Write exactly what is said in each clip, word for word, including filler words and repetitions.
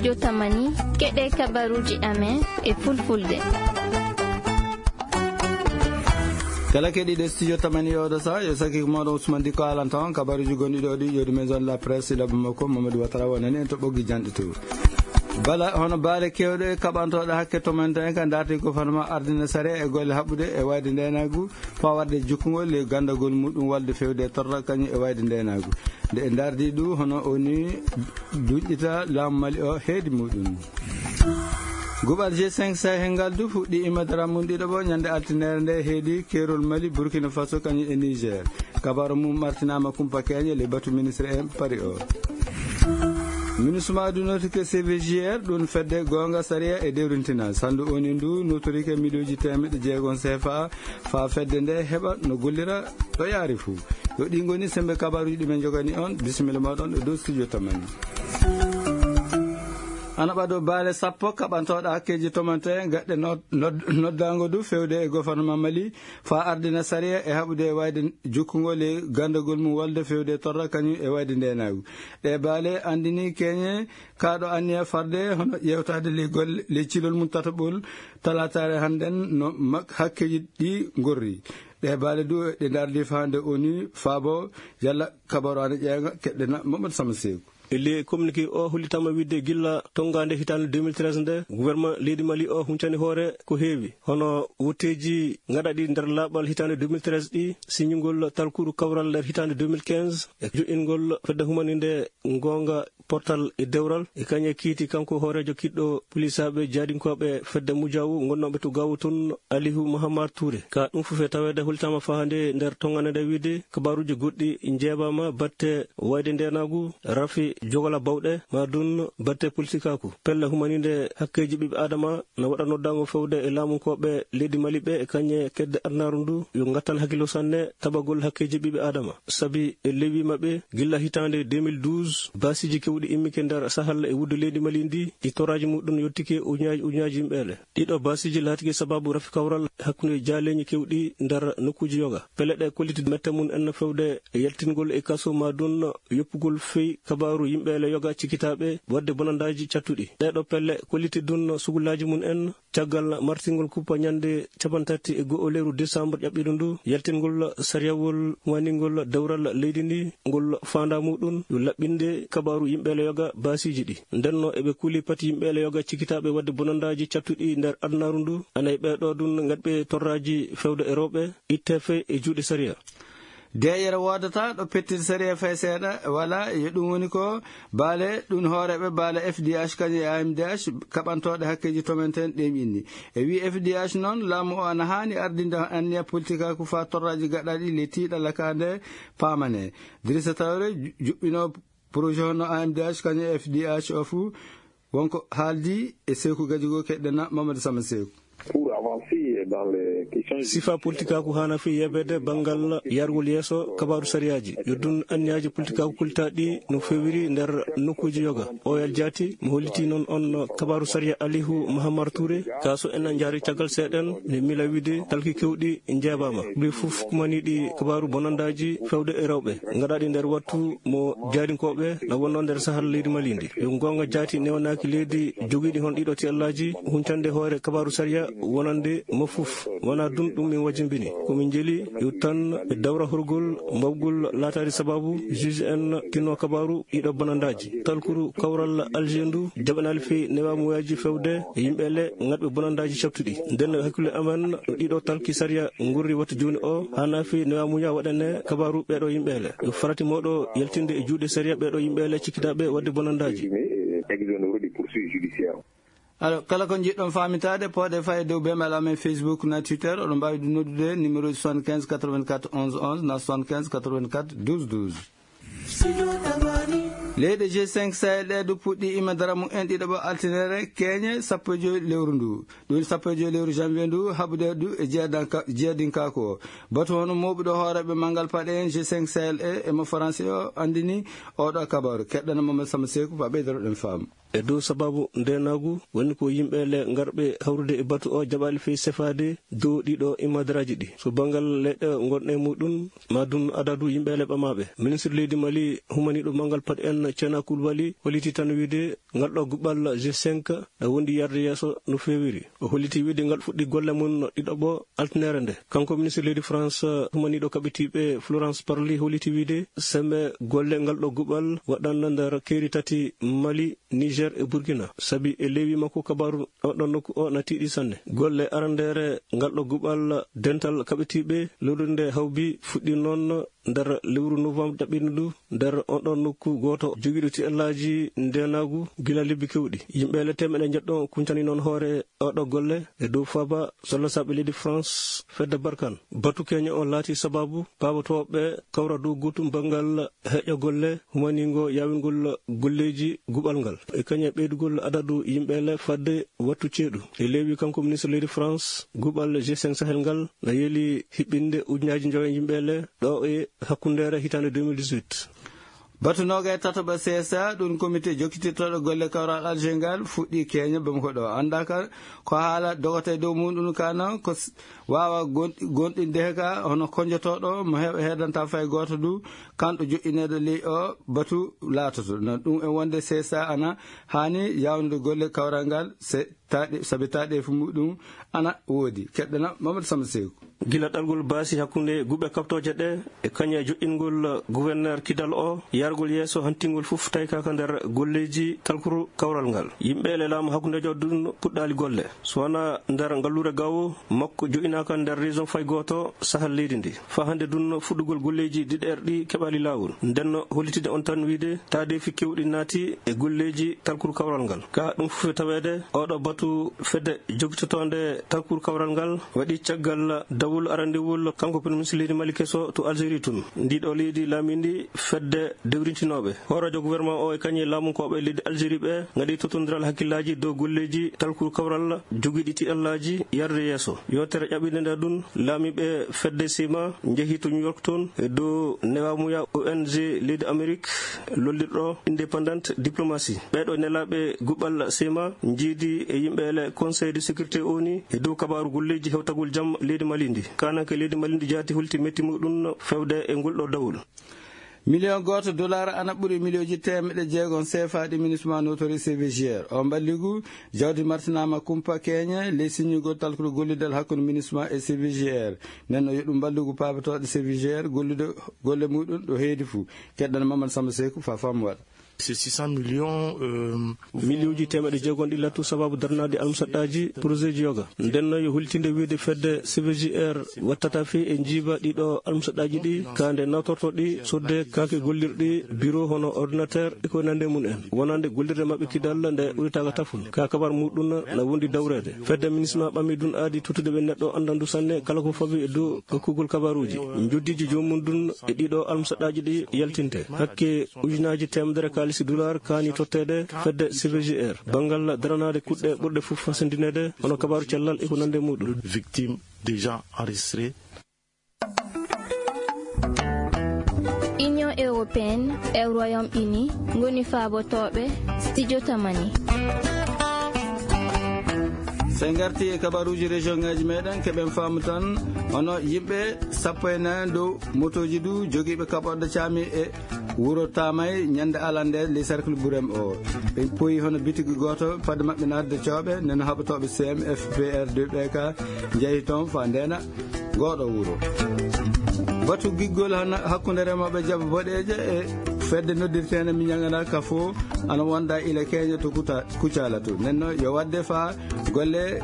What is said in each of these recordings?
Yo tamani, keɗe kabaruji amen e fulfulde. Kala keɗiiɗo studio tamani oɗo sa, yo sakki ko mawɗo Ousmane Diko alanta on kabaruji gonɗi ɗo ɗi, yodi maison de la presse, laɓɓi makko Mamadou Ouattara wonani en to ɓoggi janɗi to. Bala hono baale kewɗe kaɓantooɗe hakke tomanten ka darti gouvernement ardina sare e golle haɓɓude e wayde ndenagu, fawarde jukkugol e gandagol muɗum walde fewde e torra kañum e wayde ndenagu. Nde e dardi ɗu hono oni duƴƴita laamu Mali o heedi muɗum. Guɓal G cinq Sahel ngal du fuɗɗi imadara mum ɗiɗo ɓo ñande altinere nde heedi keerol Mali, Burkina Faso kañum e Niger. Kabaru mum martinama kumpa keñe le batu ministre en Paris o. Minusma du notike C V G R ɗum fedde gonga sariya e dewrintina. Sandu oni ndu notorike miliyoji temeɗɗe jeegom C F A fa fedde nde heɓa no gollira ɗo yaari fuu. Yo ɗi ngoni sembe kabaruji ɗi men jogani on. Bisimilla moɗon e dow studio tamani. Ana ɓado baale sappo kaɓantooɗo hakkeji tomante gaɗɗe nod-, nod-, noddango du fewde e gouvernement Mali fa ardina sariya e haɓude e wayde jukkugol e gandagol mum walde fewde torra kañum e wayde ndenagu. Ɗe baale andini keñe kaɗo anniya farde hono yewtade le golle, le cilol mum tataɓol talatare hannden no mak-, hakkeji ɗi gorri. Ɗe baale du ɗe dardi fa hande oni faabo yalla kabaru ana ƴeeŋa keɗɗena Mamadou Sama Seeku. E ley communiqué o hollitama wiide gilla tongande hitande deux mille treize nde, gouvernement leydi Mali o huncani hoore ko heewi. Hono wotteji gaɗaɗi nder laaɓal hitande deux mille treize ɗi, siñugol talkuru kawral nder hitande deux mille quinze, e joɗɗingol fedde humaninde gonga portal e dewral, e kañe kiiti kanko hooreejo kiɗɗo polisaɓe jaadinkooɓe fedde Mujawu gonnooɓe to Gaawo tun, Alihu Mahamar Touré. Ka ɗum fof e taweede hollitaama fahande nder tongane nde wiide kabaaruuji goɗɗi njeebaama batte wayde ndeenaagu, rafi jogola bawɗe, ma dun batte politikaaku. Pelle humaninde hakkeeji ɓiɓɓe Aadama na waɗa noddaango fewde e laamunkooɓe leydi Mali ɓe e kañe kedde adunaaru ndu yo ngattan hakkilo sanne tabagol hakkeeji ɓiɓɓe Aadama. Sabi e lewwi maɓɓe, gilla hitaande deux mille douze, baasiiji kewɗi immike nder Sahel e wuddu leydi Mali ndi, ɗi torraaji muɗum yottike ujunnaaji ujunnaaji yimɓeele. Ɗiɗo baasiiji laatike sababu rafi kawral hakkunde jaaleeñi kewɗi nder nokkuuji yoga. Pelle ɗe kolliti mette mum en fewde e yaltingol e kaso ma dun yoppugol fey kabaaru yimɓeele yoga cikkitaaɓe waɗde bonandaaji cattuɗi. Ɗeeɗo pelle kolliti dun sugulaaji mum en caggal martingol kuppa ñande capantati e go'o lewru décembre ƴaɓɓiiɗo ndu, yaltingol sariyawol waningol dewral leydi ndi, ngol faanda muɗum yo laɓɓinde kabaaru yimɓeele yoga baasiiji ɗi. Ndenno eɓe kuli pati yimɓeele yoga cikkitaaɓe waɗde bonandaaji cattuɗi nder adunaaru ndu, ana e ɓeeɗo dun ngaɗɓe torraaji fewde e rewɓe, itte fey e juuɗe sariya. Deeƴere woodata ɗo pettin sariya fay seeɗa, wala, yo ɗum woni ko baale ɗum hooreeɓe baale F D H kañum e A M D H kaɓantooɗe hakkeeji tomenten ɗem inni. E wi F D H noon, laamu o ana haani ardinde anniya politikaaku faa torraaji gaɗaaɗi le tiiɗalla ka nde paamane. Dirisa Tawre ju-, juɓɓinoo projet hono A M D H kañum e F D H o fuu, wonko haaldi e Seeku Gajigo keɗɗena Mamadou Sama Seeku. Pour avancer dans les questions Sifa politikaaku haana fii yeebeede banngal yargol yeeso kabaaru sariyaaji. Yo dun anniyaaji politikaaku kultaaɗi no fewiri nder nokkuuji yoga. O L jaati mo holliti noon on kabaaru sariya Alihu Mahamar Touré. Ka so en njaari caggal seeɗen, ne mila wiide talki kewɗi njeebaama. Ɓe fof kumaniiɗi kabaaru bonandaaji fewde e rewɓe. Ngaɗaaɗi nder wattu mo jaadinkooɓe na wonnoo nder Sahel leydi Mali ndi. Yo goonga jaati newanaaki leydi jogiiɗi hon ɗiɗo tiyallaaji huncande hoore kabaaru sariya wonande mo fof. Wonaa dun ɗum min wajimbini. Ko min njeli yo tan e dawra horgol mbawgol laataade sababu juge en tinno kabaaru ɗiɗo bonandaaji. Talkuru kawral Alger ndu jaɓanaali fii newaamuyaji fewde e yimɓe le ngaɗɓe bonandaaji cabtuɗi. Nden hakkille amen no ɗiɗo talki sariya ngurri wattu jooni o, haana fii newaamuya waɗane kabaaru ɓeeɗo yimɓe le. Yo farati moɗo yaltinde e juuɗe sariya ɓeeɗo yimɓe le cikkitaaɓe waɗde bonandaaji. Présumé et exonéré des poursuites judiciaires. Alors, kala ko njiɗɗon faamitaade, pooɗe faa e dow bemel amen Facebook na Twitter, oɗon mbaawi ɗum noddude numéro soixante-quinze quatre-vingt-quatre onze onze na soixante-quinze quatre-vingt-quatre douze douze. Leyɗe G cinq Sahel ɗe du puɗɗi imadara mum en ɗiɗo ɓo altinere keeñe sappo e joy lewru ndu. Ɗum woni sappo e joy lewru janvier ndu, haɓude du e jeedanka-, jeedinkaaku o. Batu hono mooɓuɗo hooreeɓe manngal paɗe en G cinq Sahel e, e mo Faransi o anndini oɗo kabaru. Keɗɗana Mamadou Sama Seeku, fa ɓeydotoɗen faamu. e dow sababu ndeenaagu, woni ko yimɓe le ngarɓe hawrude e batu o jaɓaali fey sefaade dow ɗiɗo imadaraaji ɗi. So banngal leyɗe ngonɗe muɗum, ma dun adadu yimɓe le ɓamaaɓe. Ministre leydi Mali humaniiɗo manngal Pat en Cena Koulibaly holliti tan wiide ngal ɗo guɓal G cinq na wondi yarde yeeso no feewiri. O holliti wiide ngal fuɗɗi golle mum ɗiɗaɓo altinere nde. Kanko ministre leydi France humaniiɗo kaɓitiiɓe Florence Parly holliti wiide sembe golle ngal ɗo guɓal waɗanno nder keeri tati Mali, Niger e Burkina. Sabi e leewi makko kabaru on ɗon nokku o na tiiɗi sanne. Golle arandeere ngal ɗo guɓal dental kaɓitiiɓe lorrinde hawbi fuɗɗi noon nder lewru novembre ɗaɓɓiiɗo ndu nder on ɗon nokku gooto jogiiɗo tiɗallaaji ndeenaagu gila lebbi keewɗi. Yimɓe le teemeɗe njeɗɗo kuncani noon hoore oɗo golle e dow faaba sollasaaɓe leydi France fedde Barkan. Batu keño on laati sababu paabotooɓe kawra dow gootum banngal heƴa golle humaniingo yaawingol golleeji guɓal ngal. E kañe ɓeydugol adadu yimɓe le fadde wattu ceeɗu. E leewi kanko ministre leydi France guɓal G cinq Sahel ngal na yeeli hiɓɓinde ujunaaji njoyo yimɓe le ɗo e hakkundeere hitaande deux mille dix-huit. Batu noga e tataɓa C S A, ɗum comité jokkitirtoɗo golle kawral Alger ngal fuɗɗi keña bam ko ɗo. Annda ka ko haala dogata e dow muɗum kana ko s-, wawa gon-, gonɗinde he ka hono konjotoɗo mo he-, hedanta fay goto du, kanɗo joƴƴineɗo ley o batu laatoto. Na ɗum e wonde C S A ana hani yawnude golle kawral ngal se taɗe-, sabi taɗeefu muɗum ana woodi. Keɗɗana Mamadou Samba Seeku. Gila ɗalgol baasi hakkunde guɓe kaɓtooje ɗe e kañe joƴƴingol gouverneur kidal o, yargol yeeso hantingol fof taykaka nder golleeji talkuru kawral ngal. Yimɓe le laamu hakkundejo ɗum puɗɗaali golle. So wona nder ngalluure gawo makko joƴƴinaaka nder région fay gooto sahal leydi ndi. Faa hannde ɗum fuɗɗugol golleeji diɗeer ɗi keɓaali laawol. Nden no hollitide on tan wiide taadeefi keewɗi naati e golleeji talkuru kawral ngal. Ka ɗum fof e taweede, oɗo batu fedde jokkitotoonde talkuru kawral ngal waɗi caggal dawol arandewol kanko Premier Ministre leydi Mali keso to Algérie tun. Ndiɗo leydi laamindi fedde dewrintinooɓe. Hooreejo gouvernement o e kañe laamunkooɓe leydi Algérie ɓe ngaɗi tottondiral hakkillaaji dow golleeji talkuru kawral jogiiɗi tiɗallaaji yarde yeeso. Yewtere ƴaɓɓinde nde ɗum, laamiiɓe fedde sima njehi to New York toon e dow newamuya O N G leydi Amérique lollirɗo Independent Diplomacy. Ɓeeɗo nelaaɓe guɓal sima njiidi e yimɓe le Conseil de sécurité O N U e dow kabaaru golleeji hewtagol jam leydi Mali ndi. Kananke leydi Mali ndi jaati holti metti muɗum fewde e ngol ɗo dawol. Miliyon gooto dollar ana ɓuri miliyoji teemeɗe jeegom C F A ɗi MINUSMA notori C V G R. O mballigu jawdi martinaama kumpa keeñe ley siññugol talkude gollidal hakkunde MINUSMA e C V G R. Nden no yo ɗum mballigu paabotooɗo C V G R gollude golle muɗum ɗo heedi fuu. Keɗɗana Mamadou Samba Seeku fa fam waɗa. C'est six cents millions, euh, Miliyoji teemeɗe jeegom ɗi lattu sababu darnaade almusaɗɗaaji projet ji yoga. Nden no yo hultinde wiide fedde C V G R wattata fii e njiiba ɗiɗo almusaɗɗaaji ɗi, ka nde nawtorto ɗi sodde kaake gollirɗi, bureau hono ordinateur e ko nande mum en. Wonande gollirde maɓɓe kidal nde ɓuritaaka taful. Ka kabar muɗum na wondi dawreede. Fedde MINUSMA ɓami ɗum aadi tottude ɓe neɗɗo anndandu sanne kala ko fawi e dow hokkugol kabaruuji. Njoddiiji joomum ɗum e ɗiɗo almusaɗɗaaji ɗi yaltinte. Hakke ujunaaji teemedere kaalisi dollar kaani totteede fedde C V G R. Banngal daranaade kuɗɗe ɓurɗe fof fasandineede, hono kabaaru cellal e ko nande muɗum. Victime déjà enregistré. Union Européenne e Royaume-Uni ngoni faabotooɓe studio Tamani. So en ngarti e kabaruuji région ngaji meɗen, keɓen faamu tan hono yimɓe sappo e nayi dow motooji du jogiiɓe kaɓorɗe caami e wuro Tamay ñande alande ley cercle Burem o. Ɓe poyi hono bitigi gooto fadde maɓɓe naatde cooɓe, nden haɓotooɓe C M F P R deux ɓe ka njehi toon fa ndeena ngooɗo wuro. Batu giggol hana-, hakkunde remooɓe jaba boɗeeje e fedde noddirteende mi ñagana ka fo ana wonda ila keeña to Kuta-, Kucala to. Nden no yo wadde fa golle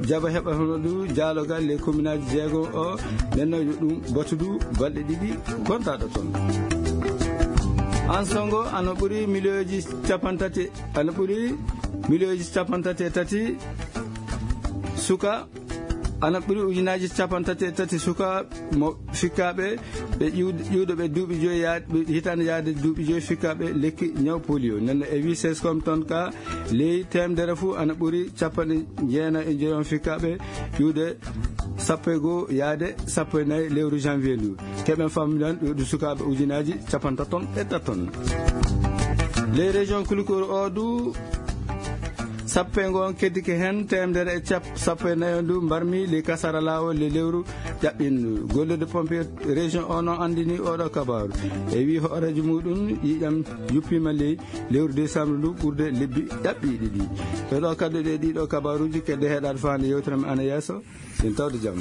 jaba heɓa hono du jaalogal ley kominaaji jeego o, nden no yo ɗum batu du balɗe ɗiɗi gontaɗo toon. An songo ana ɓuri miliyoji capantati, ana ɓuri miliyoji capantati e tati suka, ana ɓuri ujunaaji capantati e tati suka mo fikkaaɓe ɓe ƴiwd-, ƴiwɗoɓe duuɓi joyi yaade, ɓe hitaande yaade duuɓi joyi fikkaaɓe lekki ñaw polio. Nden no e wi sescom toon ka ley teemedere fuu ana ɓuri capanɗe jeenayi e joyi on fikkaaɓe ƴiwde sappo e goo yaade sappo e nayi lewru janvier ndu. Keɓen fammidan ɗo ɗum sukaaɓe ujunaaji capantaton e taton. Ley région Kulikoro o du, Sappo e ngoon keddike heen teemedere e cap sappo e nayo ndu mbarmi le kasara laawol le lewru ƴaɓɓindu. Gollirde pompier région o noon anndini oɗo kabaaru. E wii hooreejo muɗum ƴiiƴam yuppiima ley lewru décembre ndu ɓurde lebbi ƴaɓɓiiɗi ɗi. Ɗo ɗo kadduɗe ɗiɗo kabaaruuji kedde heɗaade faande yewtere men ana yeeso. Min tawde jam.